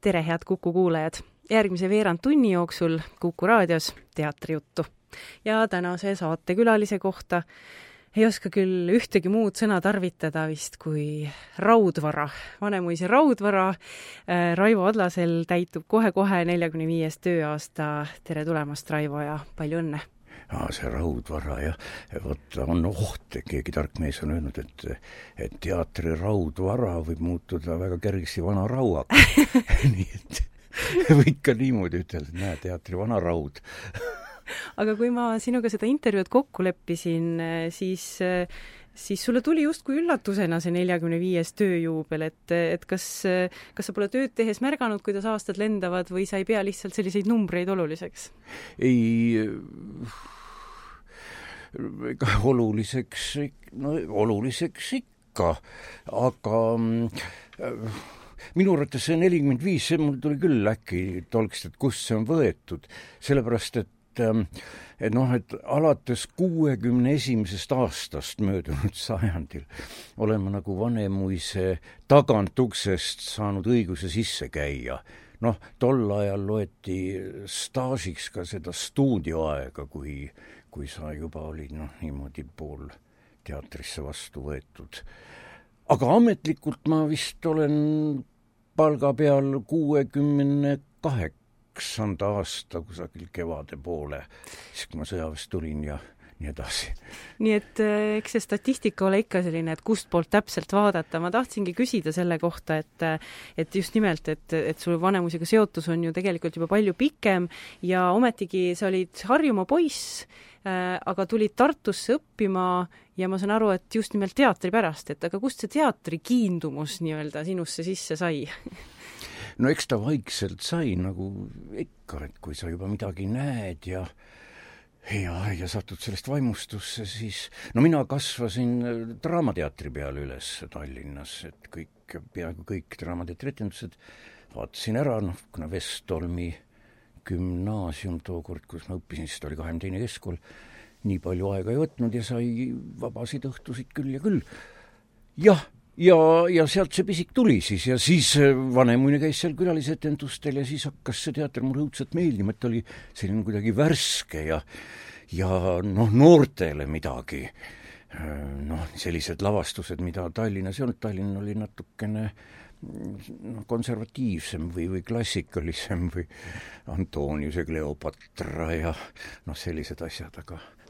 Tere, head Kuku kuulajad! Järgmise veerand tunni jooksul Kuku raadios teatrijuttu. Ja tänase saatekülalise kohta ei oska küll ühtegi muud sõna tarvitada vist kui raudvara. Vanemuise raudvara. Raivo Adlasel täitub kohe-kohe 45. tööaasta. Tere tulemast, Raivo, ja palju õnne! See raudvara, ja vot on oht, keegi tark mees on öelnud, et teatri raudvara võib muutuda väga kergesti vana rauaks. Nii et võib ka niimoodi ütelda, et näe, teatri vana raud. Aga kui ma sinuga seda intervjuud kokku leppisin, siis sulle tuli justkui üllatusena see 45. tööjuubel, et kas sa pole tööd tehes märganud, kuidas aastad lendavad, või sa ei pea lihtsalt selliseid numbreid oluliseks? Ei, oluliseks ikka, aga minu arvates see 45, see mul tuli küll äkki tolkst, et kust see on võetud, sellepärast, et alates 61. aastast möödunud sajandil olen ma nagu Vanemuise tagantuksest saanud õiguse sisse käia. Tol ajal loeti staažiks ka seda stuudioaega, kui sa juba olid niimoodi pool teatrisse vastu võetud. Aga ametlikult ma vist olen palga peal 68. aasta kusagil kevade poole, siis kui ma sõjaväest tulin ja nii edasi. Nii et eks see statistika ole ikka selline, et kust poolt täpselt vaadata. Ma tahtsingi küsida selle kohta, et just nimelt, et sul Vanemuisega seotus on ju tegelikult juba palju pikem ja ometigi sa olid Harjumaa poiss, aga tulid Tartusse õppima ja ma saan aru, et just nimelt teatri pärast, aga kust see teatri kiindumus nii-öelda sinusse sisse sai? Eks ta vaikselt sai nagu ikka, et kui sa juba midagi näed ja satud sellest vaimustusse, siis mina kasvasin Draamateatri peal üles Tallinnas, et peaaegu kõik Draamateatri etendused vaatasin ära, kuna Vestolmi gümnaasium tookord, kus ma õppisin, siis oli 22. keskkool, nii palju aega ei võtnud ja sai vabasid õhtusid küll ja küll. Ja sealt see pisik tuli siis ja siis Vanemuine käis seal külalisetendustel ja siis hakkas see teater mulle õudselt meeldima, et oli selline kuidagi värske ja noortele midagi. Sellised lavastused, mida Tallinnas ei olnud. Tallinn oli natukene konservatiivsem või klassikalisem või Antonius ja Kleopatra ja sellised asjad,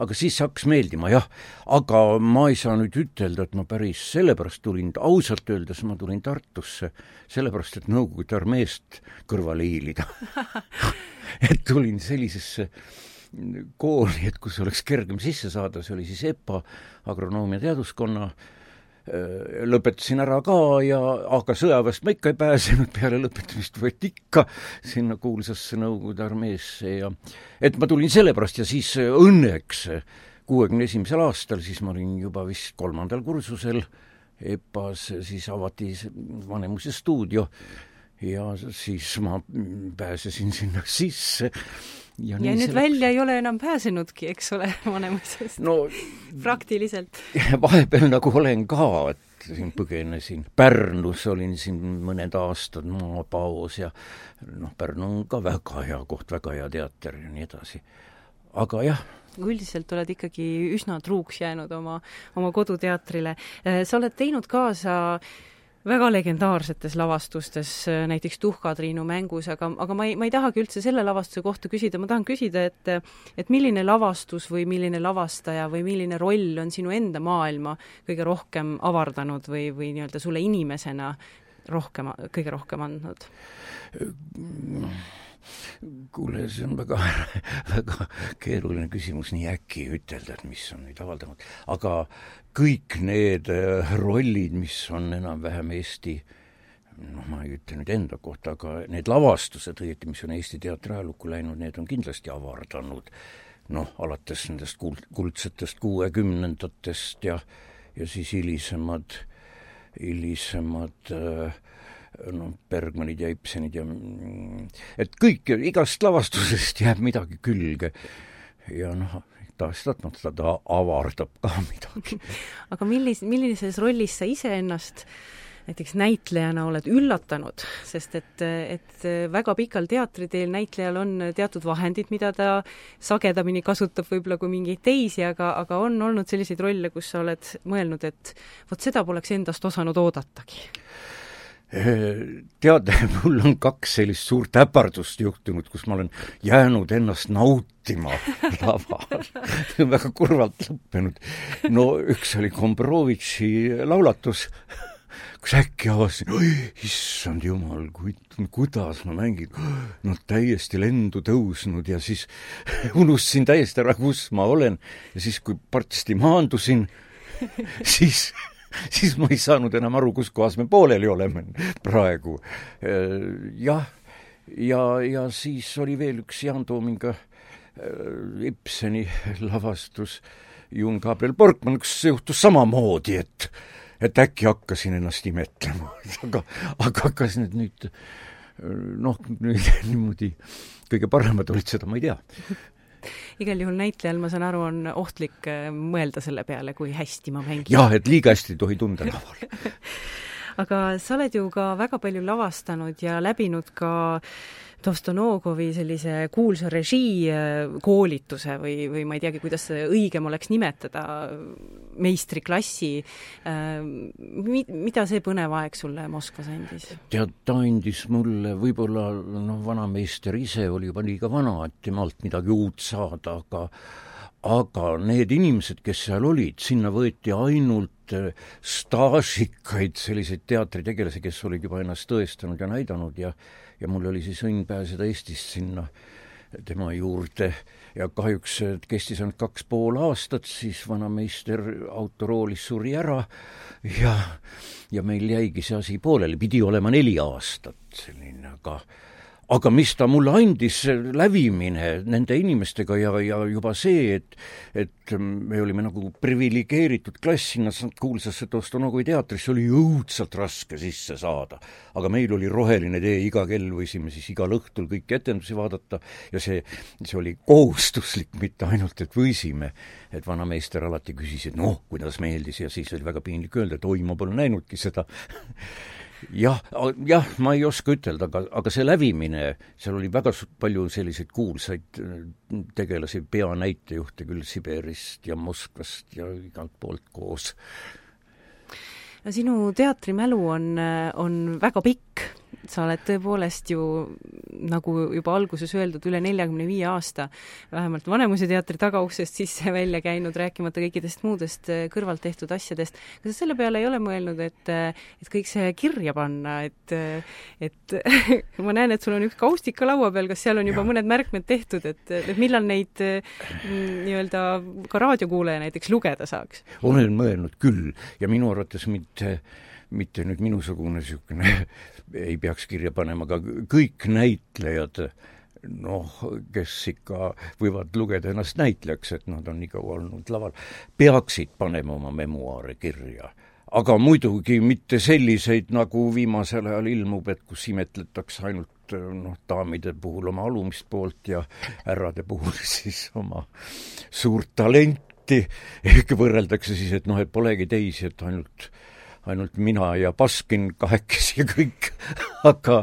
aga siis hakkas meeldima, jah. Aga ma ei saa nüüd ütelda, et ma päris sellepärast tulin, ausalt öeldes ma tulin Tartusse sellepärast, et Nõukogude armeest kõrvale hiilida. Et tulin sellisesse kooli, et kus oleks kergem sisse saada, see oli siis EPA, agronoomia teaduskonna, lõpetasin ära ka, aga sõjaväest ma ikka ei pääsenud, peale lõpetamist võeti ikka sinna kuulsasse Nõukogude armeesse et ma tulin sellepärast ja siis õnneks 61. aastal, siis ma olin juba vist 3. kursusel EPA-s, siis avati Vanemuise stuudio ja siis ma pääsesin sinna sisse. Ja nüüd välja ei ole enam pääsenudki, eks ole, Vanemuisest? Praktiliselt. Vahepeal nagu olen ka, et siin põgenesin. Pärnus olin siin mõned aastad maapaos ja Pärnu on ka väga hea koht, väga hea teater ja nii edasi. Aga jah. Üldiselt oled ikkagi üsna truuks jäänud oma koduteatrile. Sa oled teinud kaasa väga legendaarsetes lavastustes, näiteks Tuhkatriinu mängus, aga ma ei tahagi üldse selle lavastuse kohta küsida. Ma tahan küsida, et milline lavastus või milline lavastaja või milline roll on sinu enda maailma kõige rohkem avardanud või nii-öelda sulle inimesena kõige rohkem andnud? Kuule, see on väga, väga keeruline küsimus nii äkki ütelda, et mis on nüüd avaldanud. Aga kõik need rollid, mis on enam-vähem Eesti, ma ei ütle nüüd enda kohta, aga need lavastused, mis on Eesti teatri ajalukku läinud, need on kindlasti avardanud. Alates nendest kuldsetest 60-ndatest ja siis hilisemad Bergmanid ja Ibsenid ja et kõik, igast lavastusest jääb midagi külge ja tahes-tahtmata ta avardab ka midagi. Aga millises rollis sa ise ennast näiteks näitlejana oled üllatanud, sest et väga pikal teatriteel näitlejal on teatud vahendid, mida ta sagedamini kasutab võib-olla kui mingeid teisi, aga on olnud selliseid rolle, kus sa oled mõelnud, et vot seda poleks endast osanud oodatagi. Tead, mul on 2 sellist suurt äpardust juhtunud, kus ma olen jäänud ennast nautima laval. Väga kurvalt lõppenud. No üks oli Gombrowiczi laulatus, kus äkki avasin, issand jumal, kuidas ma mängin, no täiesti lendu tõusnud ja siis unustasin täiesti ära, kus ma olen ja siis, kui partsti maandusin, siis ma ei saanud enam aru, kus kohas me pooleli oleme praegu. Jah, ja siis oli veel üks Jaan Toominga Ibseni lavastus Jun Gabriel Borkmann, kus juhtus samamoodi, et äkki hakkasin ennast imetlema. aga kas nüüd niimoodi kõige paremad olid, seda ma ei tea. Igal juhul näitlejal, ma saan aru, on ohtlik mõelda selle peale, kui hästi ma mängin. Jah, et liiga hästi ei tohi tunda laval. Aga sa oled ju ka väga palju lavastanud ja läbinud ka Dostonogovi sellise kuulsa režii koolituse või ma ei teagi, kuidas see õigem oleks nimetada, meistriklassi. Mida see põnev aeg sulle Moskvas andis? Tead, ta andis mulle võib-olla, vanameister ise oli juba liiga vana, et temalt midagi uut saada, aga need inimesed, kes seal olid, sinna võeti ainult staažikaid selliseid teatritegelasi, kes olid juba ennast tõestanud ja näidanud ja mul oli siis õnn pääseda Eestist sinna tema juurde ja kahjuks kestis ainult 2,5 aastat, siis vanameister autoroolis suri ära ja meil jäigi see asi pooleli, pidi olema 4 aastat selline, aga mis ta mulle andis, lävimine nende inimestega ja juba see, et me olime nagu privilegeeritud klass sinna kuulsasse Dostonogovi teatrisse, oli õudselt raske sisse saada. Aga meil oli roheline tee, iga kell võisime siis igal õhtul kõiki etendusi vaadata ja see oli kohustuslik, mitte ainult, et võisime. Et vanameister alati küsis, et kuidas meeldis ja siis oli väga piinlik öelda, et oi, ma pole näinudki seda. Jah, ma ei oska ütelda, aga see lävimine, seal oli väga palju selliseid kuulsaid tegelasi, peanäitejuhte küll Siberist ja Moskvast ja igalt poolt koos. No, sinu teatrimälu on väga pikk. Sa oled tõepoolest ju, nagu juba alguses öeldud, üle 45 aasta vähemalt Vanemuise teatri tagauksest sisse välja käinud, rääkimata kõikidest muudest kõrvalt tehtud asjadest. Kas sa selle peale ei ole mõelnud, et kõik see kirja panna, et ma näen, et sul on üks kaustika laua peal, kas seal on juba mõned märkmed tehtud, et millal neid nii-öelda ka raadiokuulaja näiteks lugeda saaks? Olen mõelnud küll ja minu arvates mitte nüüd minusugune niisugune ei peaks kirja panema, aga kõik näitlejad, kes ikka võivad lugeda ennast näitlejaks, et nad on nii kaua olnud laval, peaksid panema oma memuaare kirja. Aga muidugi mitte selliseid, nagu viimasel ajal ilmub, et kus imetletakse ainult daamide puhul oma alumist poolt ja härrade puhul siis oma suurt talenti. Ehk võrreldakse siis, et et polegi teisi, et ainult mina ja Baskin kahekesi ja kõik. Aga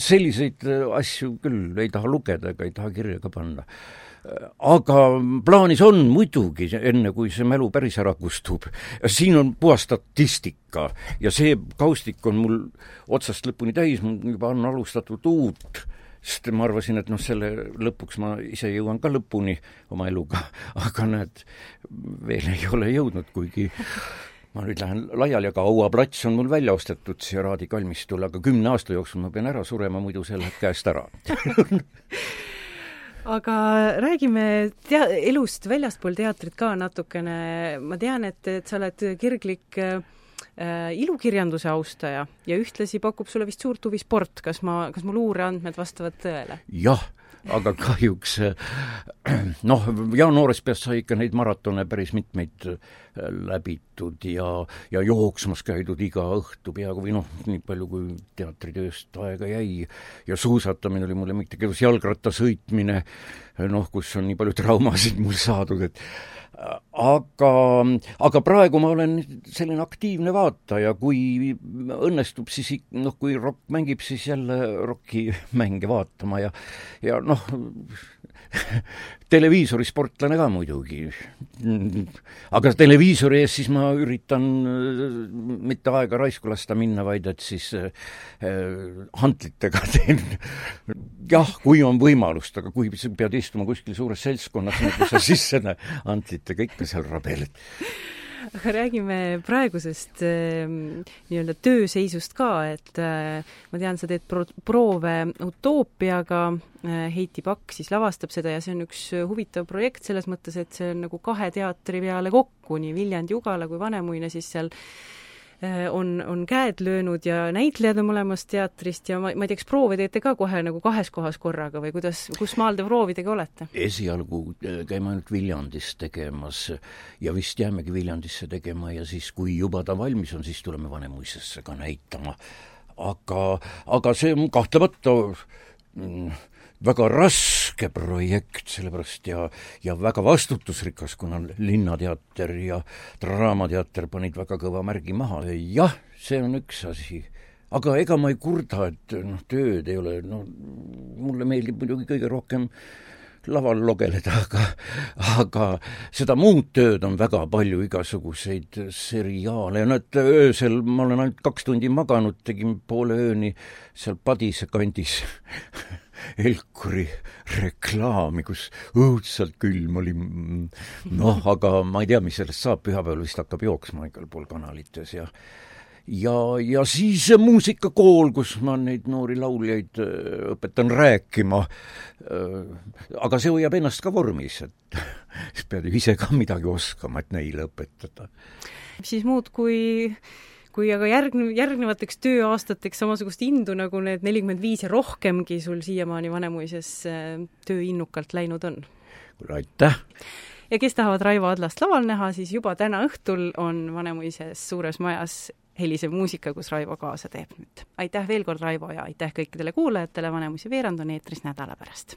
selliseid asju küll ei taha lugeda ega ei taha kirja ka panna. Aga plaanis on muidugi, enne kui see mälu päris ära kustub. Siin on puhas statistika ja see kaustik on mul otsast lõpuni täis, mul juba on alustatud uut, sest ma arvasin, et selle lõpuks ma ise jõuan ka lõpuni oma eluga, aga näed, veel ei ole jõudnud, kuigi ma nüüd lähen laiali, aga Auaplats on mul välja ostetud siia raadikalmistul, aga 10 aasta jooksul ma pean ära surema, muidu see läheb käest ära. Aga räägime elust väljaspool teatrit ka natukene. Ma tean, et sa oled kirglik ilukirjanduse austaja ja ühtlasi pakub sulle vist suurt huvi sport. Kas mu luureandmed vastavad tõele? Jah, aga kahjuks noh, Jaan Noorespääst sai ikka neid maratone päris mitmeid läbitud ja jooksmas käidud iga õhtu peaaegu või noh, nii palju kui teatritööst aega jäi ja suusatamine oli mulle mitte kedus, jalgratta sõitmine, noh, kus on nii palju traumasid mul saadud, et aga praegu ma olen selline aktiivne vaataja, kui õnnestub, siis noh, kui rock mängib, siis jälle rocki mänge vaatama ja noh, televiisori sportlane ka muidugi. Aga televiisori ees siis ma üritan mitte aega raisku lasta minna, vaid et siis hantlitega teen. Jah, kui on võimalust, aga kui pead istuma kuskil suures seltskonnas, nagu sa sisse hantlitega ikka seal rabeled. Aga räägime praegusest nii-öelda tööseisust ka, et ma tean, sa teed proove Utoopiaga, Heiti Pakk siis lavastab seda ja see on üks huvitav projekt selles mõttes, et see on nagu 2 teatri peale kokku, nii Viljandi Ugala kui Vanemuine siis seal on käed löönud ja näitlejad on mõlemast teatrist ja ma ei tea, kas proove teete ka kohe nagu 2 kohas korraga või kus maal te proovidega olete? Esialgu käime ainult Viljandis tegemas ja vist jäämegi Viljandisse tegema ja siis, kui juba ta valmis on, siis tuleme Vanemuisesse ka näitama. Aga see on kahtlemata väga raske projekt, sellepärast ja väga vastutusrikas, kuna Linnateater ja Draamateater panid väga kõva märgi maha. Jah, see on üks asi. Aga ega ma ei kurda, et tööd ei ole, mulle meeldib muidugi kõige rohkem laval logeleda, aga seda muud tööd on väga palju, igasuguseid seriaale ja öösel ma olen ainult 2 tundi maganud, tegin poole ööni seal Padise kandis Elkuri reklaami, kus õudselt külm oli. Noh, aga ma ei tea, mis sellest saab, pühapäeval vist hakkab jooksma igal pool kanalites ja siis muusikakool, kus ma neid noori lauljaid õpetan rääkima. Aga see hoiab ennast ka vormis, et siis pead ju ise ka midagi oskama, et neile õpetada. Siis muud kui aga järgnevateks tööaastateks samasugust indu nagu need 45 ja rohkemgi sul siiamaani Vanemuises tööinnukalt läinud on. Aitäh! Ja kes tahavad Raivo Adlast laval näha, siis juba täna õhtul on Vanemuises suures majas helisev muusika, kus Raivo kaasa teeb nüüd. Aitäh veel kord, Raivo, ja aitäh kõikidele kuulajatele, Vanemuise veerand on eetris nädala pärast.